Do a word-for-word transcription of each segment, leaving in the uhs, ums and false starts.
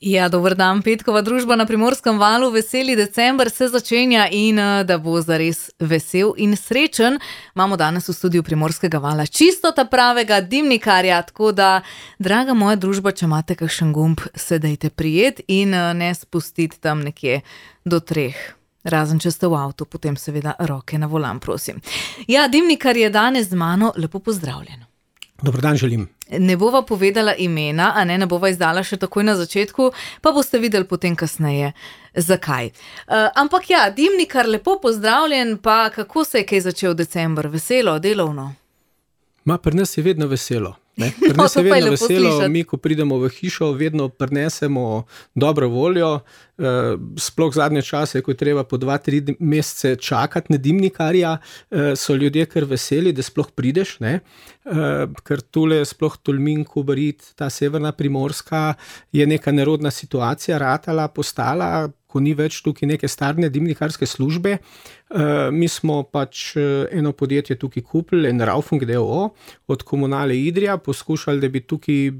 Ja, dober dan, petkova družba na Primorskem valu, veseli december se začenja in da bo zares vesel in srečen. Imamo danes v studiu Primorskega vala čisto ta pravega dimnikarja, tako da, draga moja družba, če imate kakšen gumb, se dajte prijet in ne spustiti tam nekje do treh. Razen, če ste v avtu, potem seveda roke na volan, prosim. Ja, dimnikar je danes z mano, lepo pozdravljen. Dober dan želim. Ne bova povedala imena, a ne, ne bova izdala še takoj na začetku, pa boste videli potem kasneje, zakaj. Uh, ampak ja, dimnikar, lepo pozdravljen, pa kako se je kaj začel december? Veselo, delovno? Ma, pri nas je vedno veselo. Ne? Pri nas no, je vedno je veselo, slišati. Mi, ko pridemo v hišo, vedno prinesemo dobro voljo, uh, sploh zadnje čase, ko je treba po dva, tri mesece čakati na dimnikarja, uh, so ljudje kar veseli, da sploh prideš, ne? Uh, ker tule sploh Tolmin, Kobarid, ta severna Primorska je neka nerodna situacija, ratala, postala, ko ni več tukaj neke starne dimnikarske službe. Uh, mi smo pač eno podjetje tukaj kupili, en Raufung d. o. o. od Komunale Idrija, poskušali, da bi tukaj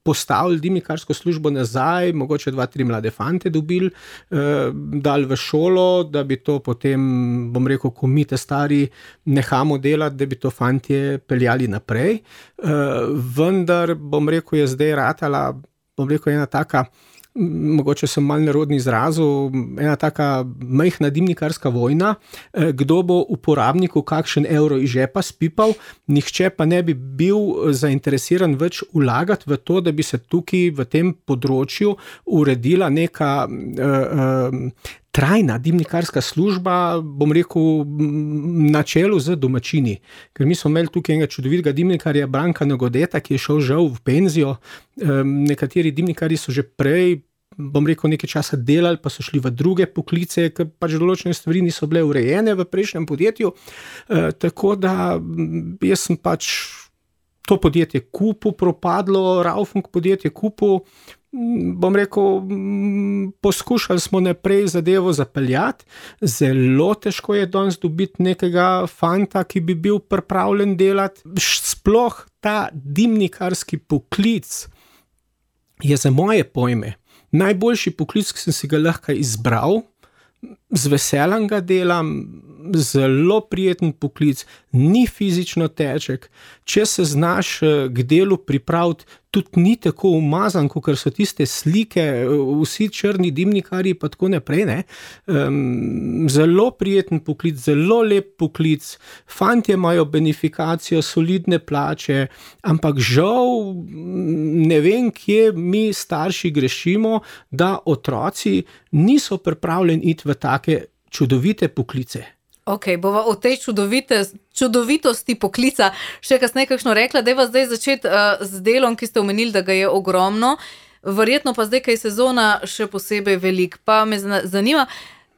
postavili dimnikarsko službo nazaj, mogoče dva, tri mlade fante dobili, uh, dali v šolo, da bi to potem, bom rekel, ko mi te stari nehamo delati, da bi to fantje peljali naprej. Uh, vendar, bom rekel, je zdaj ratala, bom rekel, ena taka, mogoče sem malo nerodni izrazil, ena taka majhna dimnikarska vojna, kdo bo uporabniku kakšen evro iz žepa spipal, nihče pa ne bi bil zainteresiran več vlagati v to, da bi se tukaj v tem področju uredila neka uh, uh, trajna dimnikarska služba, bom rekel, na čelu z domačini. Ker mi smo imeli tukaj enega čudovitega dimnikarja, Branka Nogodeta, ki je šel žal v penzijo. Nekateri dimnikarji so že prej, bom rekel, nekaj časa delali, pa so šli v druge poklice, ker pač določene stvari niso bile urejene v prejšnjem podjetju. Tako da jaz sem pač to podjetje kupil, propadlo, Raufung podjetje kupil, bom rekel, poskušali smo naprej zadevo zapeljati, zelo težko je danes dobiti nekega fanta, ki bi bil pripravljen delati. Sploh ta dimnikarski poklic je za moje pojme najboljši poklic, ki sem si ga lahko izbral, z veseljem ga delam, zelo prijeten poklic, ni fizično težek, če se znaš k delu pripraviti, tudi ni tako umazan, kot so tiste slike, vsi črni dimnikarji pa tako naprej, ne. Um, zelo prijeten poklic, zelo lep poklic, fantje imajo benefikacijo, solidne plače, ampak žal ne vem, kje mi starši grešimo, da otroci niso pripravljeni iti v take čudovite poklice. Ok, bova o tej čudovite, čudovitosti poklica še kasneje kakšno rekla, dajva zdaj začeti uh, z delom, ki ste omenili, da ga je ogromno, verjetno pa zdaj, kaj je sezona še posebej velik, pa me zanima,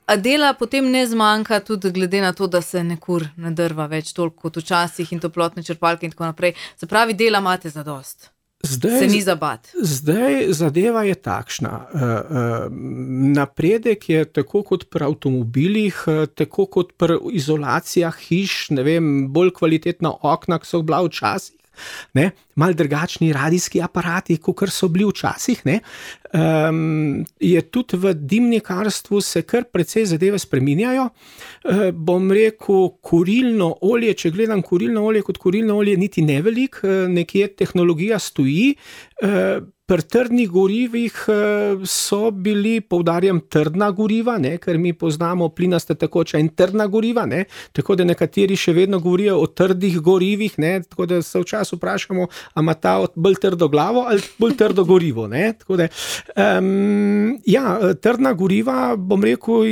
a dela potem ne zmanjka tudi glede na to, da se nekur ne drva več toliko kot včasih in toplotne črpalke in tako naprej, se pravi, dela imate zadost. Zdaj, se ni zabat. Zdaj zadeva je takšna. Uh, uh, napredek je tako kot pri avtomobilih, uh, tako kot pri izolacijah hiš, ne vem, bolj kvalitetna okna, ki so bila včasih, ne, malo drugačni radijski aparati, kakor so bili včasih, ne. Um, je tudi v dimnikarstvu se kar precej zadeve spreminjajo. Uh, bom rekel, kurilno olje, če gledam kurilno olje kot kurilno olje, niti ne velik, uh, nekje tehnologija stoji. Uh, pri trdnih gorivih uh, so bili, poudarjam, trdna goriva, ne, ker mi poznamo plinaste tekoča in trdna goriva, ne, tako da nekateri še vedno govorijo o trdih gorivih, ne, tako da se včasih vprašamo, a ima ta bolj trdo glavo ali bolj trdo gorivo, ne, tako da Um, ja, trdna goriva, bom rekel,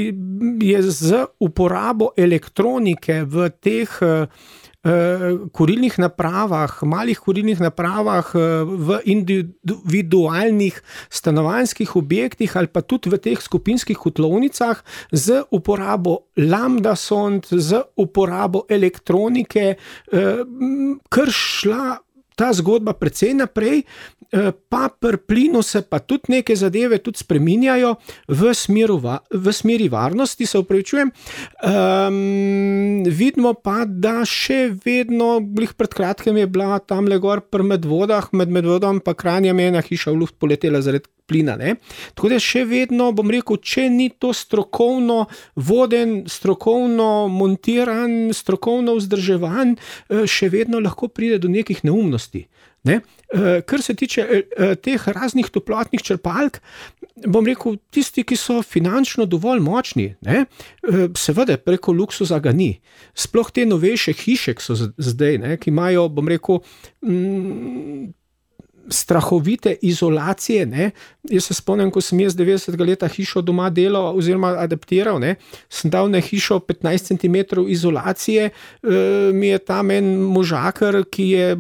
je z uporabo elektronike v teh uh, kurilnih napravah, malih kurilnih napravah v individualnih stanovanjskih objektih ali pa tudi v teh skupinskih kotlovnicah z uporabo lambda sond, z uporabo elektronike, uh, kar šla ta zgodba precej naprej, pa pri plinu se pa tudi neke zadeve tudi spreminjajo v, smeru, v smeri varnosti, se upravičujem. Um, vidimo pa, da še vedno, blih pred kratkem je bila tamle gor pri Medvodah, med Medvodom pa Kranjem ena hiša v luft poletela zaradi plina. Ne? Tako da še vedno, bom rekel, če ni to strokovno voden, strokovno montiran, strokovno vzdrževan, še vedno lahko pride do nekih neumnosti. Ne? Kar se tiče teh raznih toplotnih črpalk, bom rekel, tisti, ki so finančno dovolj močni, ne? Seveda preko luksuza ga ni. Sploh te novejše hiše, ki so zdaj, ne? Ki imajo, bom rekel, mm, strahovite izolacije. Ne? Jaz se spomnim, ko sem jaz devetdesetega leta hišo doma delal oziroma adaptiral, ne? Sem dal na hišo petnajst centimetrov izolacije, e, mi je tam en možakar, ki je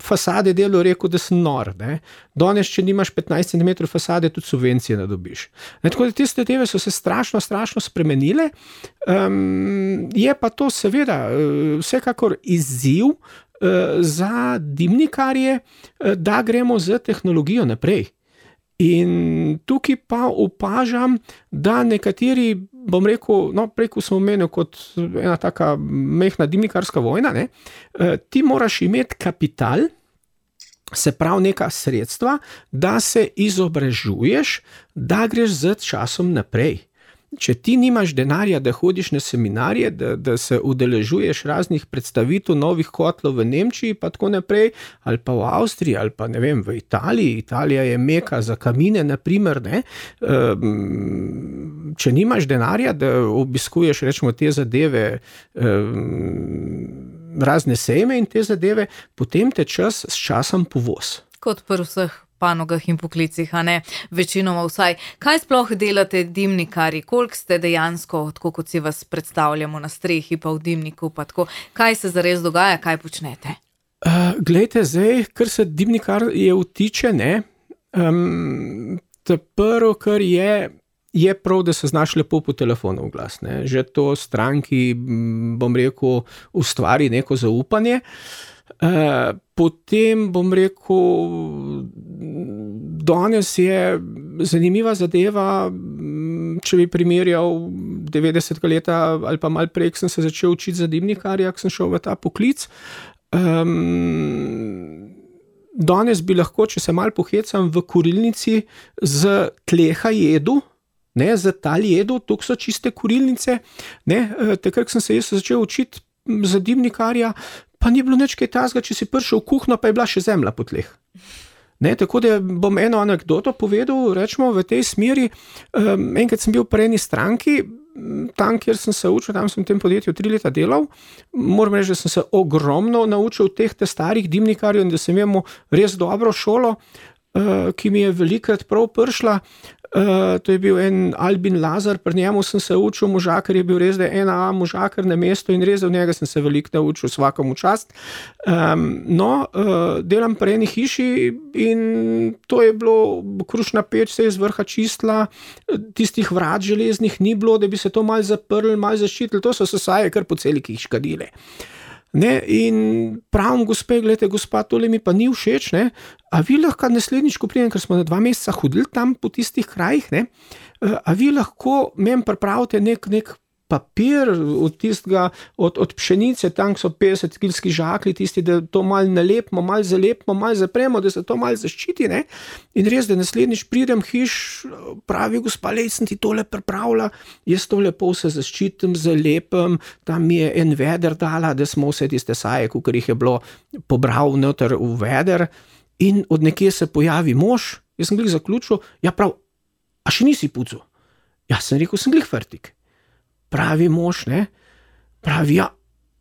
fasade delo rekel, da sem nor. Ne? Danes, če nimaš petnajst centimetrov fasade, tudi subvencije ne dobiš. Ne, tako da te zadeve so se strašno, strašno spremenile. Um, je pa to seveda vsekakor izziv uh, za dimnikarje, uh, da gremo z tehnologijo naprej. In tukaj pa opažam, da nekateri, bom rekel, no, preko smo omenili kot ena taka mehna dimnikarska vojna, ne, ti moraš imeti kapital, se pravi neka sredstva, da se izobražuješ, da greš z časom naprej. Če ti nimaš denarja, da hodiš na seminarje, da, da se udeležuješ raznih predstavitev novih kotlov v Nemčiji, pa tako naprej, ali pa v Avstriji, ali pa ne vem, v Italiji, Italija je meka za kamine, naprimer, ne, če nimaš denarja, da obiskuješ, rečemo, te zadeve, razne sejme in te zadeve, potem te čas s časom povoz. Kot pri vseh panogah in poklicih, a ne večinoma vsaj. Kaj sploh delate dimnikarji? Koliko ste dejansko, tako kot si vas predstavljamo na strehi, pa v dimniku, pa tako, kaj se zares dogaja, kaj počnete? Uh, glejte, zdaj, kar se dimnikar je vtiče, ne, um, to prvo, kar je, je prav, da se znaš lepo po telefonu v glas, ne. Že to stranki, bom rekel, ustvari neko zaupanje. Uh, potem, bom rekel, danes je zanimiva zadeva, če bi primerjal devetdesetega leta ali pa malo prej, ko sem se začel učiti za dimnikarja, ko sem šel v ta poklic. Um, danes bi lahko, če se malo pohecam, v kurilnici z tleha jedu, ne, z tal jedu, tukaj so čiste kurilnice, ne, takrat, ko sem se jaz začel učiti za dimnikarja, pa ni bilo nič kaj tazga, če si prišel v kuhno, pa je bila še zemlja po tleh. Ne, tako da bom eno anekdoto povedal, rečemo v tej smeri. Um, enkrat sem bil pri eni stranki, tam, kjer sem se učil, tam sem v tem podjetju tri leta delal. Moram reči, da sem se ogromno naučil teh te starih dimnikarjev in da sem imel res dobro šolo, uh, ki mi je velikrat prav prišla. Uh, to je bil en Albin Lazar, pri njemu sem se učil, možakar je bil res, da je ena A možakar na mesto in res od njega sem se veliko naučil, svakomu čast. Um, no, uh, delam pri eni hiši in to je bilo, krušna peč se je z vrha čistila, tistih vrat železnih ni bilo, da bi se to malo zaprli, malo zaščitili, to so se saje kar po celi hiškadile. Ne, in pravim, gospe, gledajte, gospa, tole mi pa ni všeč, ne, a vi lahko naslednjič, ko pridem, ker smo na dva meseca hodili tam po tistih krajih, ne, a vi lahko meni pripravite nek, nek papir od tistega, od, od pšenice, tam so petdeset kilski žakli, tisti, da to malo nalepimo, malo zalepimo, malo zapremo, da se to malo zaščiti, ne, in res, da naslednjič pridem hiš, pravi, gospa, lej, sem ti tole pripravila, jaz to lepo se zaščitim, zalepim, tam mi je en veder dala, da smo vse tiste saje, kakor jih je bilo pobral noter v veder, in od nekje se pojavi mož, jaz sem glih zaključil, ja prav, a še nisi pucal? Ja, sem rekel, sem glih fertik. Pravi mož, ne, pravi, ja,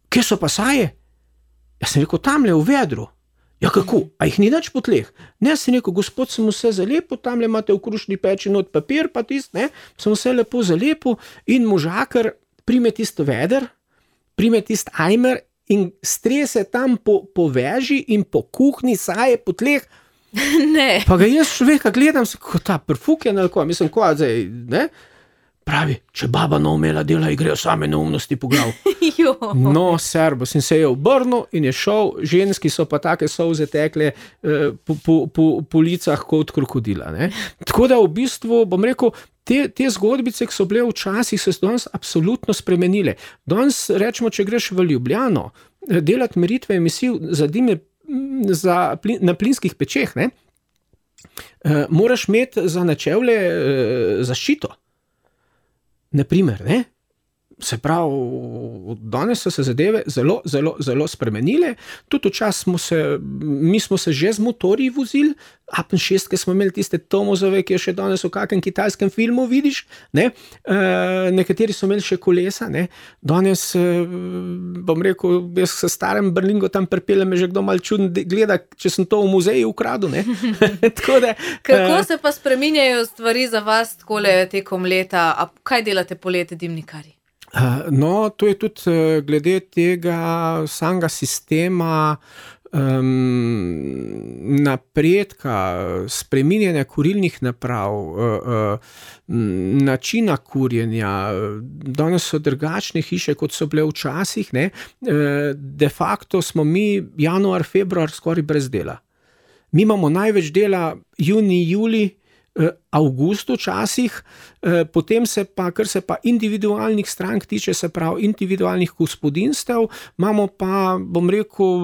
kje so pa saje? Ja, sem rekel, tamle v vedru. Ja, kako? A jih ni nič po tleh? Ne, sem rekel, gospod, sem vse zalepil, tamle imate v krušni peči not papir, pa tist, ne, sem vse lepo zalepil in možakar prime tist veder, prime tist ajmer in strese tam po, po veži in po kuhni saje po tleh. Ne. Pa ga jaz človeka gledam, se, ko ta prfuken ali ko, mislim, ko, zdaj, ne, pravi, če baba ne umela dela, grejo same neumnosti po glav. No, serbos, in se je obrnil in je šel, ženski so pa take solze tekle eh, po, po, po, po licah kot krokodila. Ne? Tako da v bistvu, bom rekel, te, te zgodbice, ki so bile včasih, so se danes absolutno spremenile. Danes, rečemo, če greš v Ljubljano, delati meritve emisij za dime za plin, na plinskih pečeh, ne? uh, moraš imeti za načevlje uh, zaščito. Naprimer, ne? Se pravi, danes so se zadeve zelo, zelo, zelo spremenile. Tudi včasih smo se, mi smo se že z motorji vozili, Apen šest, ki smo imeli tiste Tomozove, ki je še danes v kakem kitajskem filmu vidiš, ne? E, nekateri so imeli še kolesa, ne? Danes, bom rekel, jaz se starem Berlingo tam pripeljem, me že kdo malo čudno gleda, če sem to v muzeju ukradel, ne? Tako da, kako se pa spreminjajo stvari za vas takole tekom leta? A kaj delate poleti, dimnikarji? No, to je tudi glede tega samega sistema um, napredka, spreminjanja kurilnih naprav, uh, uh, načina kurjenja. Danes so drugačne hiše, kot so bile včasih, ne? De facto smo mi januar, februar skoraj brez dela. Mi imamo največ dela junij, julij, avgust včasih, potem se pa, kar se pa individualnih strank tiče, se pravi individualnih gospodinstev, imamo pa, bom rekel,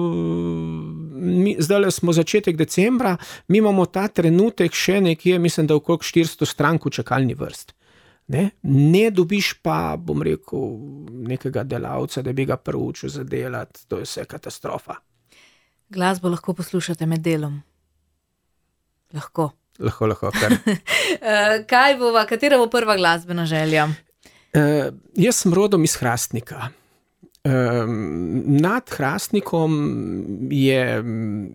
mi, zdaj smo začetek decembra, mi imamo ta trenutek še nekje, mislim, da okrog štiristo strank v čakalni vrst. Ne? Ne dobiš pa, bom rekel, nekega delavca, da bi ga proučil zadelati, to je vse katastrofa. Glasbo lahko poslušate med delom? Lahko. Lahko, lahko, kar. Kaj bova, katera bo prva glasbena želja? Uh, jaz sem rodom iz Hrastnika. Uh, nad Hrastnikom je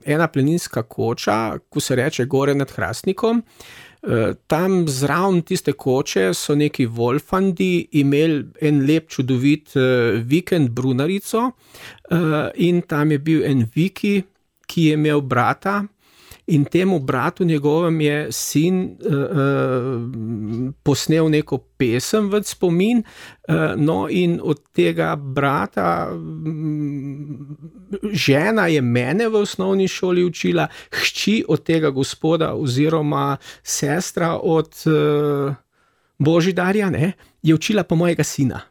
ena planinska koča, ko se reče Gore nad Hrastnikom. Uh, tam zraven tiste koče so neki Wolfandi imeli en lep čudovit uh, vikend Brunarico uh, in tam je bil en Viki, ki je imel brata. In temu bratu njegovem je sin uh, uh, posnel neko pesem v spomin, uh, no in od tega brata um, žena je mene v osnovni šoli učila, hči od tega gospoda oziroma sestra od uh, Božidarja, ne, je učila pa mojega sina.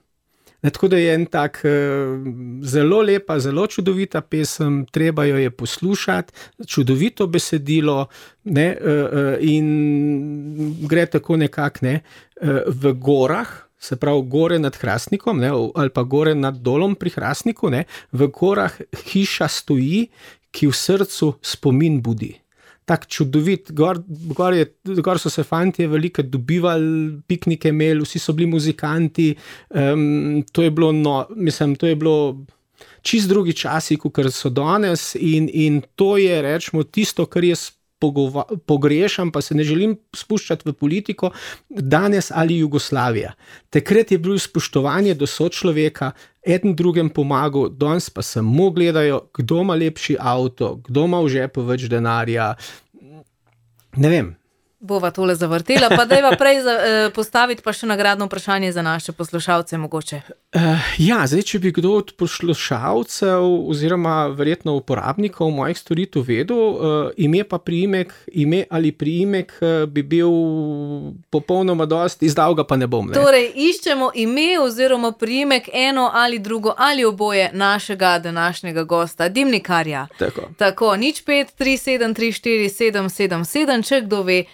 Ne, tako da je en tak zelo lepa, zelo čudovita pesem, treba jo je poslušati, čudovito besedilo, ne, in gre tako nekako, ne, v gorah, se pravi gore nad Hrastnikom, ne, ali pa gore nad dolom pri Hrastniku, ne, v gorah hiša stoji, ki v srcu spomin budi. Tak čudovit, gor, gor, je, gor so se fantje velike dobivali, piknike imeli, vsi so bili muzikanti, um, to je bilo, no, mislim, to je bilo čist drugi časi, kot so danes in, in to je, rečemo, tisto, kar jaz pogova, pogrešam, pa se ne želim spuščati v politiko, danes ali Jugoslavija. Takrat je bilo spoštovanje do sočloveka, eden drugem pomagal, danes pa samo gledajo, kdo ima lepši avto, kdo ima v žepu več denarja. Ne vem. Bova tole zavrtela, pa dajva prej za, eh, postaviti pa še nagradno vprašanje za naše poslušalce mogoče. Uh, ja, zdaj, če bi kdo od poslušalcev oziroma verjetno uporabnikov mojih storitev vedel, uh, ime pa priimek, ime ali priimek uh, bi bil popolnoma dost, izdal ga pa ne bom. Ne? Torej, iščemo ime oziroma priimek eno ali drugo ali oboje našega današnjega gosta, dimnikarja. Tako. Tako, nič pet, tri, sedem, tri, štiri, sedem, sedem, sedem, če kdo ve,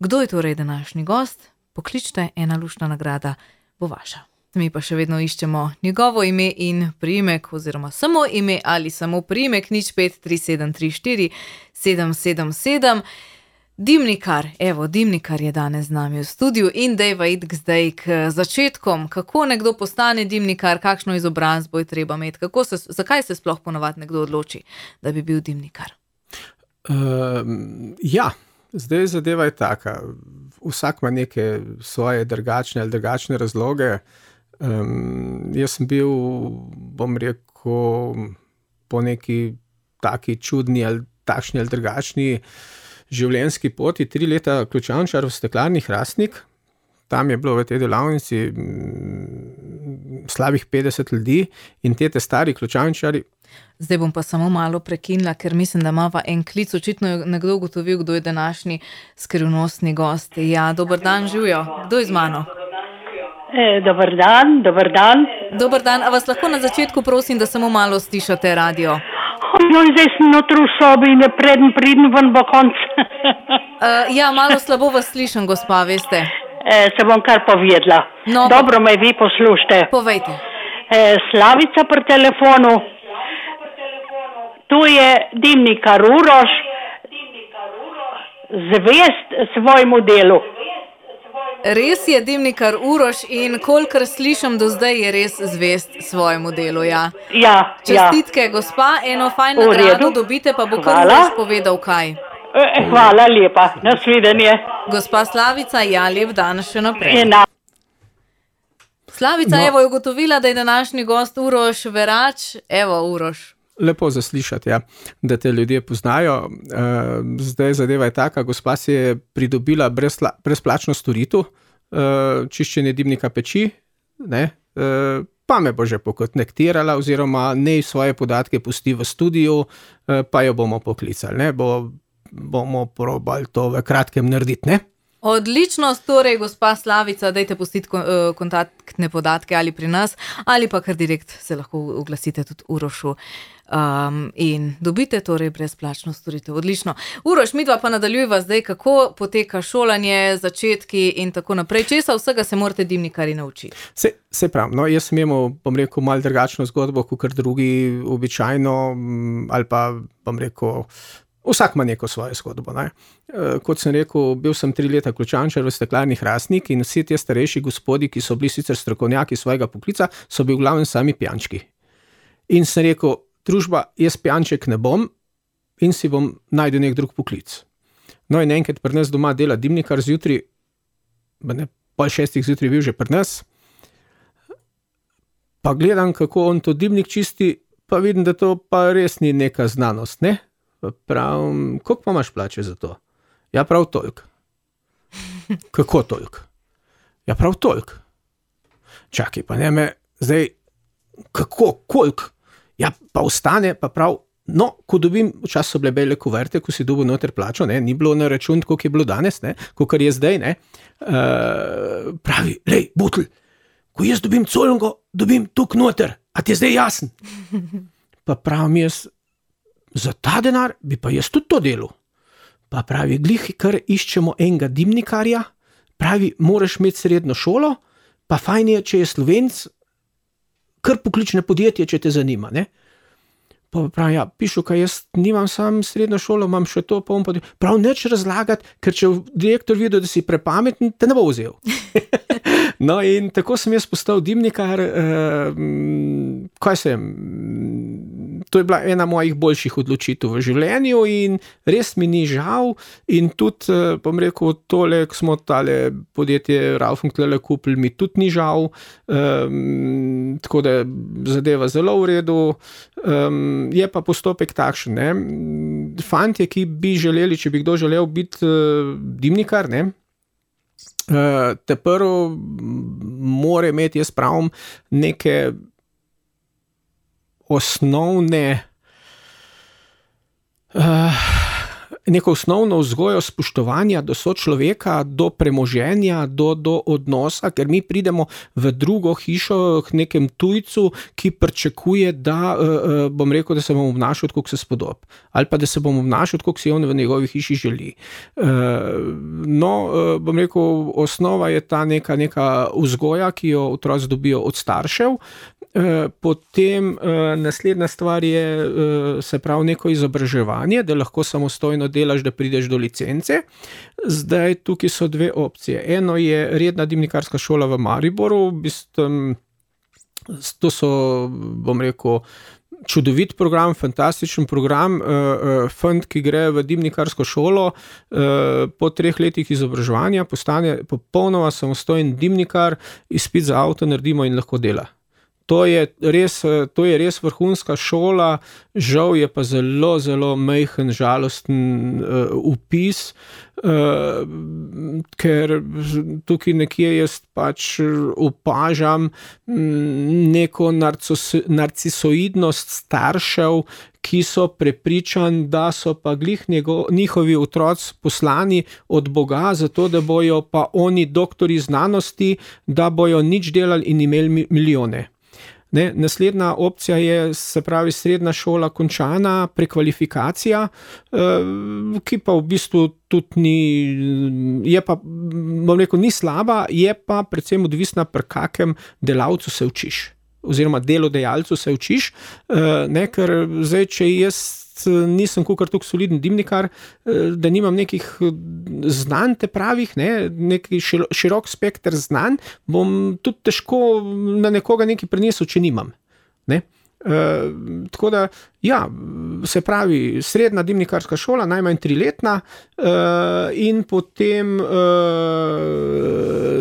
kdo je torej današnji gost, pokličite, ena luštna nagrada bo vaša. Mi pa še vedno iščemo njegovo ime in priimek, oziroma samo ime ali samo priimek, nič pet, tri, sedem, tri, štiri, sedem, sedem, sedem. Dimnikar, evo, Dimnikar je danes z nami v studiu in dejva id zdaj k začetkom, kako nekdo postane dimnikar, kakšno izobrazbo je treba imeti, kako se, zakaj se sploh ponovadi nekdo odloči, da bi bil dimnikar? Uh, ja. Zdaj zadeva je taka, vsak ima neke svoje drugačne ali drugačne razloge. Um, jaz sem bil, bom rekel, po neki taki čudni ali takšni ali drugačni življenjski poti, tri leta ključavničar v steklarni Hrastnik. Tam je bilo v tej delavnici m, slabih petdeset ljudi in te te stari ključavničari. Zdaj bom pa samo malo prekinila, ker mislim, da imava en klic, očitno je nekdo ugotovil, kdo je današnji skrivnostni gost. Ja, dober dan, živijo. Kdo je z mano? E, dober dan, dober dan. Dober dan, a vas lahko na začetku prosim, da samo malo stišate radio? No, zdaj sem notri v sobi in preden pridem ven bo konc. uh, ja, malo slabo vas slišim, gospa, veste. E, se bom kar povedala. No, Dobro me vi poslušate. Povejte. E, Slavica pri telefonu. Tu je dimnikar Uroš, zvest svojemu delu. Res je dimnikar Uroš in kolikor slišim do zdaj, je res zvest svojemu delu, ja. Ja, Čestitke, ja. gospa, eno fajn nagrado dobite, pa bo kar Uroš povedal kaj. E, hvala lepa, nasvidenje. Gospa Slavica, ja, lep dan še naprej. Ena. Slavica, No. evo, je ugotovila, da je današnji gost Uroš Verač. Evo, Uroš. Lepo zaslišati, ja, da te ljudje poznajo. Uh, zdaj zadeva je taka, gospa si je pridobila brezla, brezplačno storitev, uh, čiščenje dimnika peči, ne, uh, pa me bo že pokontaktirala oziroma nej svoje podatke pusti v studiu, uh, pa jo bomo poklicali, ne, bo, bomo probali to v kratkem narediti, ne. Odlično, torej, gospa Slavica, dajte pustiti kontaktne podatke ali pri nas, ali pa kar direkt se lahko oglasite tudi Urošu um, in dobite torej brezplačno storitev. Odlično. Uroš, midva pa nadaljujeva zdaj, kako poteka šolanje, začetki in tako naprej. Česa vsega se morate dimnikarji naučiti? Se, se prav, no, jaz sem imel, bom rekel, malo drugačno zgodbo, kot drugi običajno, ali pa, bom rekel, vsak ima neko svojo zgodbo. Ne? E, kot sem rekel, bil sem tri leta ključančar v Steklarni Hrastnik in vsi ti starejši gospodi, ki so bili sicer strokovnjaki svojega poklica, so bili v glavnem sami pijančki. In sem rekel, družba, jaz pijanček ne bom in si bom najdel nek drug poklic. No in enkrat pri nas doma dela dimnikar zjutraj, ne, pol šestih zjutraj bil že pri nas, pa gledam, kako on to dimnik čisti, pa vidim, da to pa res ni neka znanost, ne? Pravim, koliko pa imaš plače za to? Ja, prav toliko. Kako toliko? Ja, prav toliko. Čakaj, pa ne me, zdaj, kako, koliko? Ja, pa ostane, pa prav, no, ko dobim, včasih so bile bele kuverte, ko si dobil noter plačo, ne, ni bilo na račun, koliko je bilo danes, ne, kolikor je zdaj, ne, uh, pravi, lej, butl, ko jaz dobim colongo, dobim tuk noter, a ti je zdaj jasen? Pa pravim jaz, za ta denar bi pa jaz tudi to delal. Pa pravi, glih, kar iščemo enega dimnikarja, pravi, moraš imeti srednjo šolo, pa fajn je, če je Slovenc, kar poklične podjetje, če te zanima, ne. Pa pravi, ja, pišu, kaj jaz nimam sam srednjo šolo, imam še to, pa bom pa... Prav, neč razlagati, ker če direktor videl, da si prepameten, te ne bo vzel. No in tako sem jaz postal dimnikar, eh, kaj sem, to je bila ena mojih boljših odločitev v življenju in res mi ni žal in tudi, eh, bom rekel, tole, ko smo tale podjetje Raufunk tlele kupili, mi tudi ni žal, eh, tako da zadeva zelo v redu, eh, je pa postopek takšen, ne, fantje, ki bi želeli, če bi kdo želel biti eh, dimnikar, ne, Uh, te prvo mora imeti, jaz pravim, neke osnovne uh, neko osnovno vzgojo spoštovanja do sočloveka, do premoženja, do, do odnosa, ker mi pridemo v drugo hišo k nekem tujcu, ki pričakuje, da uh, bom rekel, da se bom obnašal, kako se spodob. Ali pa da se bom obnašal, kako si on v njegovi hiši želi. Uh, no, uh, bom rekel, osnova je ta neka, neka vzgoja, ki jo otroci dobijo od staršev. Potem naslednja stvar je, se pravi, neko izobraževanje, da lahko samostojno delaš, da prideš do licence. Zdaj tukaj so dve opcije. Eno je redna dimnikarska šola v Mariboru, to so, bom rekel, čudovit program, fantastičen program, fant, ki gre v dimnikarsko šolo, po treh letih izobraževanja postane popolnoma samostojen dimnikar, izpit za avto naredimo in lahko dela. To je res, to je res vrhunska šola, žal je pa zelo, zelo majhen, žalosten uh, vpis, uh, ker tukaj nekje jaz pač opažam neko narcos, narcisoidnost staršev, ki so prepričani, da so pa glih njego, njihovi otroci poslani od Boga, zato da bojo pa oni doktori znanosti, da bojo nič delali in imeli milijone. Ne? Naslednja opcija je, se pravi, srednja šola končana, prekvalifikacija, ki pa v bistvu tudi ni, je pa, bom rekel, ni slaba, je pa predvsem odvisna, pri kakem delavcu se učiš, oziroma delodajalcu se učiš, ne? Ker zdaj, če jaz nisem kakor tako soliden dimnikar, da nimam nekih znanj te pravih, ne, neki širok spekter znanj, bom tudi težko na nekoga nekaj prenesel, če nimam. Ne. Uh, tako da, ja, se pravi, srednja dimnikarska šola, najmanj triletna, uh, in potem uh,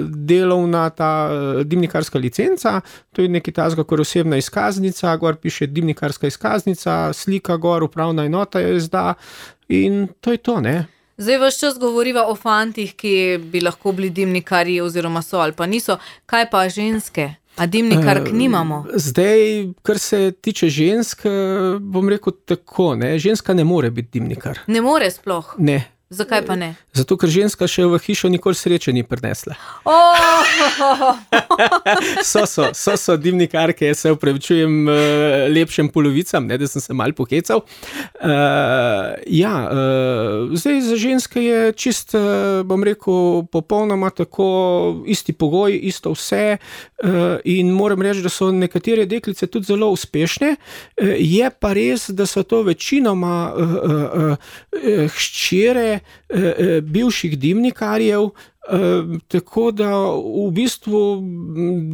delovna ta dimnikarska licenca, to je nekaj tazga, kot osebna izkaznica, gor piše dimnikarska izkaznica, slika gor, upravna enota jo izda in to je to, ne. Zdaj vaš čas govoriva o fantih, ki bi lahko bili dimnikarji oziroma so ali pa niso, kaj pa ženske? A dimnikark nimamo? Zdaj, kar se tiče žensk, bom rekel tako, ne, ženska ne more biti dimnikar. Ne more sploh? Ne. Zakaj pa ne? Zato, ker ženska še v hišo nikoli sreče ni prinesla. Oh! so, so, so, so dimnikarke, se upravičujem lepšem polovicam, ne, da sem se malo pohecal. Uh, ja, uh, zdaj za ženske je čist, uh, bom rekel, popolnoma tako isti pogoj, isto vse uh, in moram reči, da so nekatere deklice tudi zelo uspešne. Uh, je pa res, da so to večinoma uh, uh, uh, hčere bivših dimnikarjev, tako da v bistvu,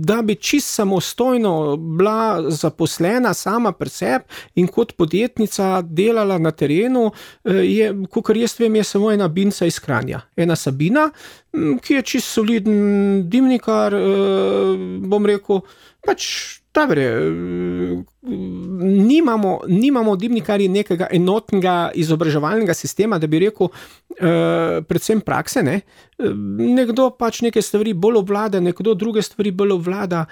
da bi čist samostojno bila zaposlena sama pri sebi in kot podjetnica delala na terenu, je, kakor jaz vem, je samo ena Binca iz Kranja. Ena Sabina, ki je čist soliden dimnikar, bom rekel, pač dobre, nimamo, nimamo dimnikarji nekega enotnega izobraževalnega sistema, da bi rekel, eh, predvsem prakse, ne. Nekdo pač neke stvari bolj obvlada, nekdo druge stvari bolj obvlada.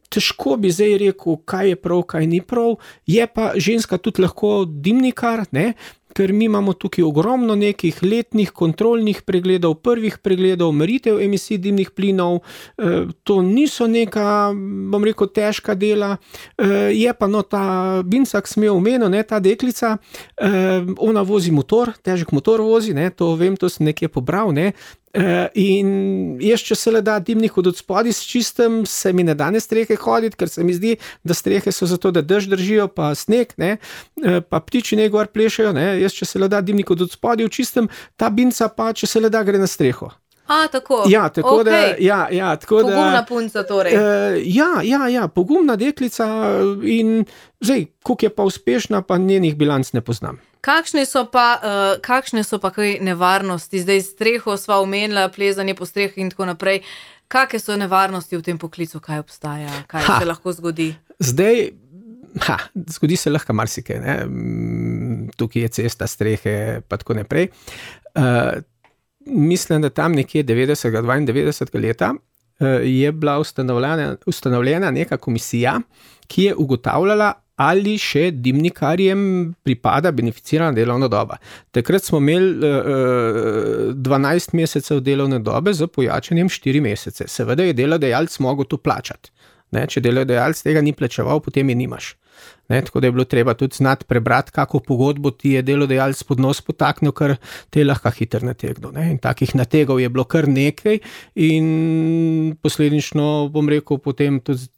Težko bi zdaj rekel, kaj je prav, kaj ni prav, je pa ženska tudi lahko dimnikar, ne. Ker mi imamo tukaj ogromno nekih letnih kontrolnih pregledov, prvih pregledov, meritev emisij dimnih plinov, e, to niso neka, bom rekel, težka dela, e, je pa no ta Binca, ki sem jo omenil, ne, ta deklica, e, ona vozi motor, težek motor vozi, ne, to vem, to sem nekje pobral, ne, Uh, in jaz, če se le da dimnik od odspodi s čistem, se mi ne da na strehe hoditi, ker se mi zdi, da strehe so zato, da dež držijo, pa sneg, ne, uh, pa ptiči ne gor plešajo, ne, jaz, če se le da dimnik od odspodi v čistem, ta Binca pa, če se le da, gre na streho. A, tako. Ja, tako okay. da, ja, ja, tako da. Pogumna punca torej. Uh, ja, ja, ja, pogumna deklica in zdaj, koliko je pa uspešna, pa njenih bilanc ne poznam. Kakšne so pa, uh, kakšne so pa kaj nevarnosti? Zdaj streho sva omenila, plezanje po streh in tako naprej. Kakšne so nevarnosti v tem poklicu, kaj obstaja, kaj ha, se lahko zgodi? Zdaj, ha, zgodi se lahko marsikaj, ne? Tukaj je cesta, strehe, pa tako naprej. Uh, mislim, da tam nekje devetdesetega, dvaindevetdesetega leta uh, je bila ustanovljena, ustanovljena neka komisija, ki je ugotavljala, ali še dimnikarjem pripada beneficirana delovna doba. Takrat smo imeli uh, dvanajst mesecev delovne dobe z pojačanjem štiri mesece. Seveda je delodajalec mogel to plačati. Ne, če delodajalec tega ni plačeval, potem je nimaš. Ne, tako da je bilo treba tudi znati prebrati, kako pogodbo ti je delodajalec pod nos potaknil, ker te je lahko hitro nategnil. Ne. In takih nategov je bilo kar nekaj in posledično, bom rekel, potem tudi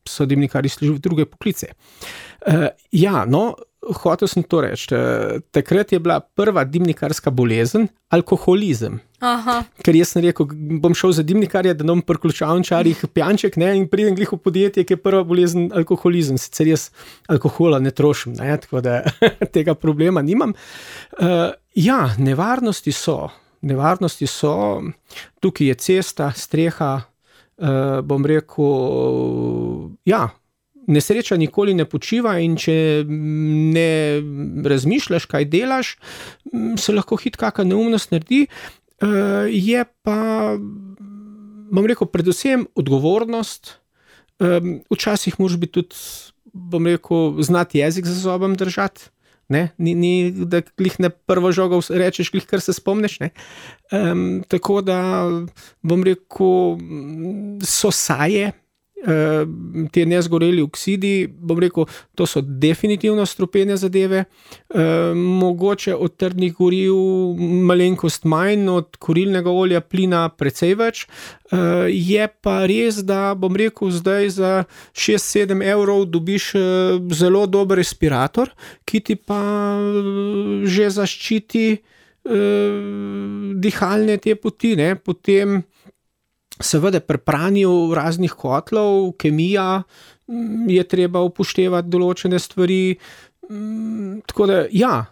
so dimnikarji šli v druge poklice. Uh, ja, no, hotel sem to reči. Uh, takrat je bila prva dimnikarska bolezen alkoholizem. Aha. Ker jaz sem rekel, bom šel za dimnikarja, da nam pri ključavničarjih pijanček, ne, in pridem glih v podjetje, ki je prva bolezen alkoholizem. Sicer jaz alkohola ne trošim, ne, tako da tega problema nimam. Uh, ja, nevarnosti so. Nevarnosti so. Tukaj je cesta, streha, uh, bom rekel, ja, nesreča nikoli ne počiva in če ne razmišljaš, kaj delaš, se lahko hit kakšna neumnost naredi. Je pa, bom rekel, predvsem odgovornost. Včasih moraš biti tudi, bom rekel, znati jezik za zobom držati. Ne? Ni, ni, da glih ne prvo žogo rečeš, glih kar se spomneš. Ne? Um, tako da, bom rekel, so saje, Te nezgoreli oksidi, bom rekel, to so definitivno strupene zadeve, e, mogoče od trdnih goriv malenkost manj, od kurilnega olja plina precej več, e, je pa res, da bom rekel, zdaj za šest sedem evrov dobiš zelo dober respirator, ki ti pa že zaščiti e, dihalne te poti, ne, potem seveda pri pranju raznih kotlov, kemija, je treba upoštevati določene stvari, tako da ja,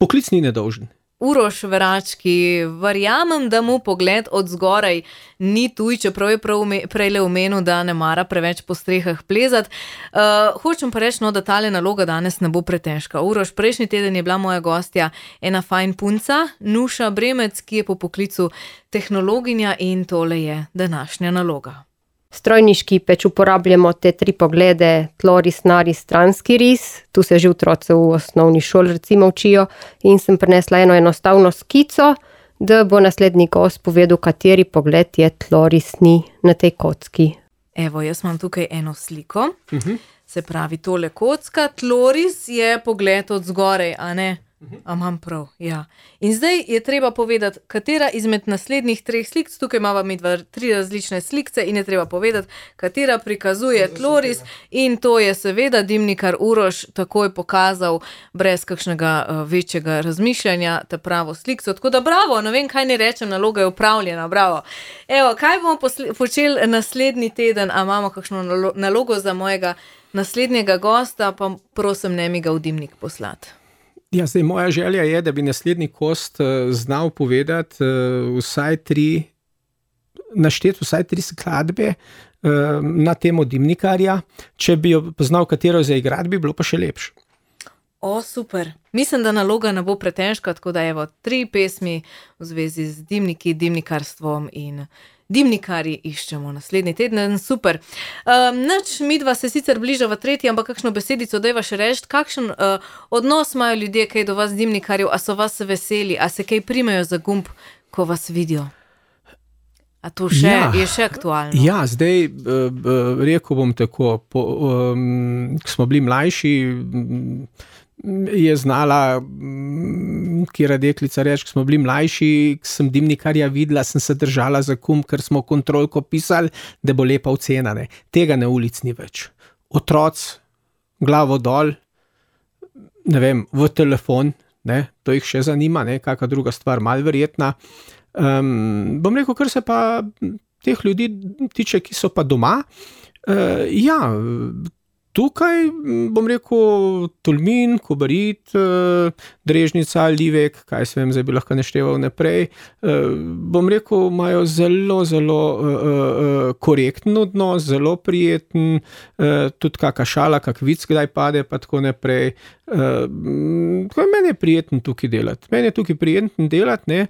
poklic ni nedolžen. Uroš Verački, verjamem, da mu pogled od zgoraj ni tuj, čeprav je prav prejle omenil, da ne mara preveč po strehah plezat. Uh, hočem pa reči, no, da tale naloga danes ne bo pretežka. Uroš, prejšnji teden je bila moja gostja ena fajn punca, Nuša Bremec, ki je po poklicu tehnologinja in tole je današnja naloga. Strojniški peč uporabljamo te tri poglede, tloris, naris, stranski ris, tu se že otroci v osnovni šoli recimo učijo in sem prinesla eno enostavno skico, da bo naslednji gost povedal, kateri pogled je tlorisni na tej kocki. Evo, jaz imam tukaj eno sliko, uh-huh. Se pravi tole kocka, tloris je pogled od zgorej, a ne? A imam prav, ja. In zdaj je treba povedati, katera izmed naslednjih treh slik, tukaj imamo mi dva, tri različne slikce in je treba povedati, katera prikazuje tloris in to je seveda dimnikar Uroš takoj pokazal brez kakšnega uh, večjega razmišljanja ta pravo slikco. Tako da bravo, ne vem, kaj ne rečem, naloga je upravljena, bravo. Evo, kaj bomo posle- počeli naslednji teden, a imamo kakšno nalo- nalogo za mojega naslednjega gosta, pa prosim, ne mi ga v dimnik poslati. Ja, zdaj moja želja je, da bi naslednji gost uh, znal povedati uh, vsaj tri, našteti vsaj tri skladbe uh, na temo dimnikarja. Če bi jo poznal, katero zaigrati, bi bilo pa še lepše. O, super. Mislim, da naloga ne bo pretežka, tako da evo, tri pesmi v zvezi z dimniki, dimnikarstvom in dimnikarji iščemo naslednji teden, super. Um, nač, midva se sicer bliža v tretji, ampak kakšno besedico dajva še reči, kakšen uh, odnos imajo ljudje kaj do vas dimnikarjev, a so vas veseli, a se kaj primejo za gumb, ko vas vidijo? A to še, ja, je še aktualno? Ja, zdaj uh, rekel bom tako, po, um, ko smo bili mlajši, je znala kjera deklica reči, ko smo bili mlajši, ko sem dimnikarja videla, sem se držala za kum, ker smo kontrolko pisali, da bo lepa ocena. Ne. Tega na ulic ni več. Otroc, glavo dol, ne vem, v telefon, ne, to jih še zanima, ne, kakva druga stvar, malo verjetna. Um, bom rekel, kar se pa teh ljudi tiče, ki so pa doma, uh, ja, tukaj, bom rekel, Tolmin, Kobarid, Drežnica, Livek, kaj se vem, zdaj bi lahko našteval naprej, bom rekel, imajo zelo, zelo korekten odnos, zelo prijeten, tudi kaka šala, kak vic kdaj pade, pa tako naprej. Meni je prijeten tukaj delati, meni je tukaj prijeten delati, ne,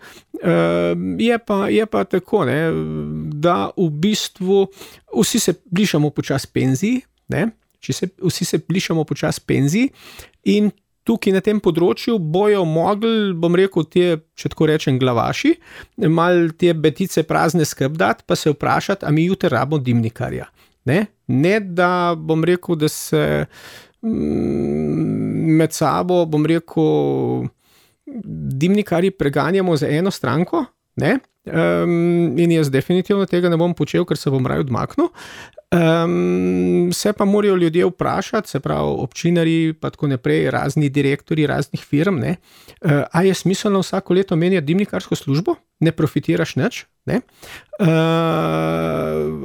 je pa, je pa tako, ne, da v bistvu vsi se bližamo počas penziji, ne, Če se, vsi se bližamo počas penziji in tukaj na tem področju bojo mogli, bom rekel, te, če tako rečem, glavaši, malo te betice prazne skrbdati, pa se vprašati, a mi jutri rabimo dimnikarja. Ne? ne, da bom rekel, da se med sabo, bom rekel, dimnikarji preganjamo za eno stranko, ne? Um, in jaz definitivno tega ne bom počel, ker se bom raje odmaknil. Um, se pa morajo ljudje vprašati, se pravi občinarji, pa tako naprej, razni direktori raznih firm, ne, uh, a je smiselno vsako leto menjati dimnikarsko službo, ne profitiraš nič, ne, uh,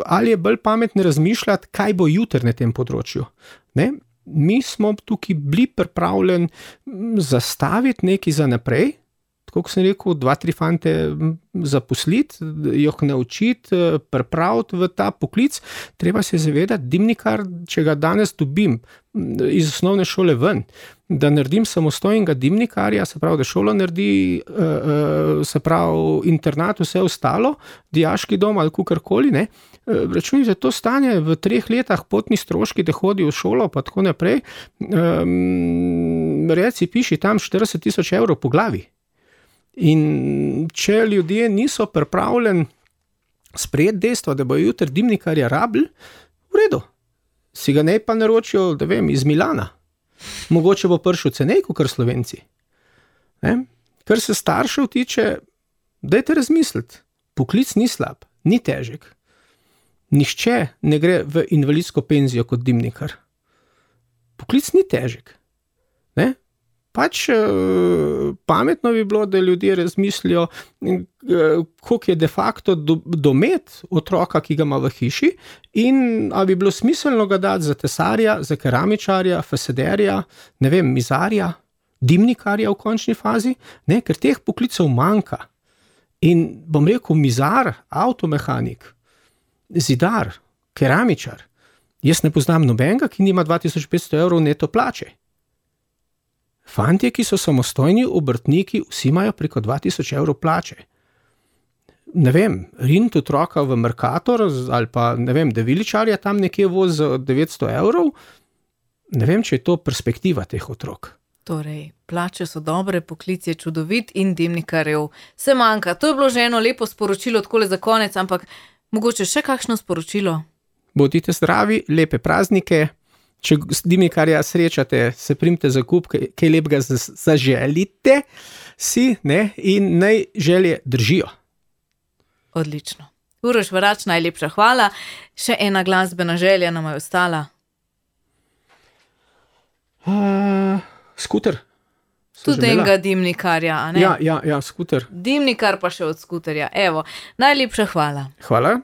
ali je bolj pametno razmišljati, kaj bo jutri na tem področju, ne. Mi smo tukaj bili pripravljeni zastaviti nekaj za naprej, tako sem rekel, dva, tri fante zaposliti, jih naučiti, pripraviti v ta poklic. Treba se zavedati, dimnikar, če ga danes dobim iz osnovne šole ven, da naredim samostojnega dimnikarja, se pravi, da šola naredi, se pravi, internat, vse ostalo, dijaški dom ali kakorkoli, ne, računi, da to stane v treh letih potni stroški, da hodi v šolo, pa tako naprej, reci, piši tam štirideset tisoč evrov po glavi. In če ljudje niso pripravljeni sprejeti dejstvo, da bo jutri dimnikarja rabili, v redu. Si ga ne pa naročijo, da vem, iz Milana. Mogoče bo prišel cenej, kot Slovenci. Ne? Kar se staršev tiče, dajte razmisliti. Poklic ni slab, ni težek. Nihče ne gre v invalidsko penzijo kot dimnikar. Poklic ni težek. Ne? Pač pametno bi bilo, da ljudje razmislijo, koliko je de facto domet otroka, ki ga ima v hiši, in ali bi bilo smiselno ga dati za tesarja, za keramičarja, fasaderja, ne vem, mizarja, dimnikarja v končni fazi, ne? Ker teh poklicev manjka. In bom rekel, mizar, avtomehanik, zidar, keramičar, jaz ne poznam nobenega, ki nima dva tisoč petsto evrov neto plače. Fantje, ki so samostojni obrtniki, vsi imajo preko dva tisoč evrov plače. Ne vem, riniti otroka v Mercator ali pa, ne vem, deviličarja tam nekje vozi za devetsto evrov, ne vem, če je to perspektiva teh otrok. Torej, plače so dobre, poklic je čudovit in dimnikarjev se manjka. To je bilo že eno lepo sporočilo takole za konec, ampak mogoče še kakšno sporočilo? Bodite zdravi, lepe praznike. Če dimnikarja srečate, se primite za kup, kaj lepega zaželite si, ne, in naj želje držijo. Odlično. Uroš Varač, najlepša hvala. Še ena glasbena želja nam je ostala. Uh, skuter. Tudi enega dimnikarja, a ne? Ja, ja, ja, skuter. Dimnikar pa še od skuterja. Evo, najlepša hvala. Hvala.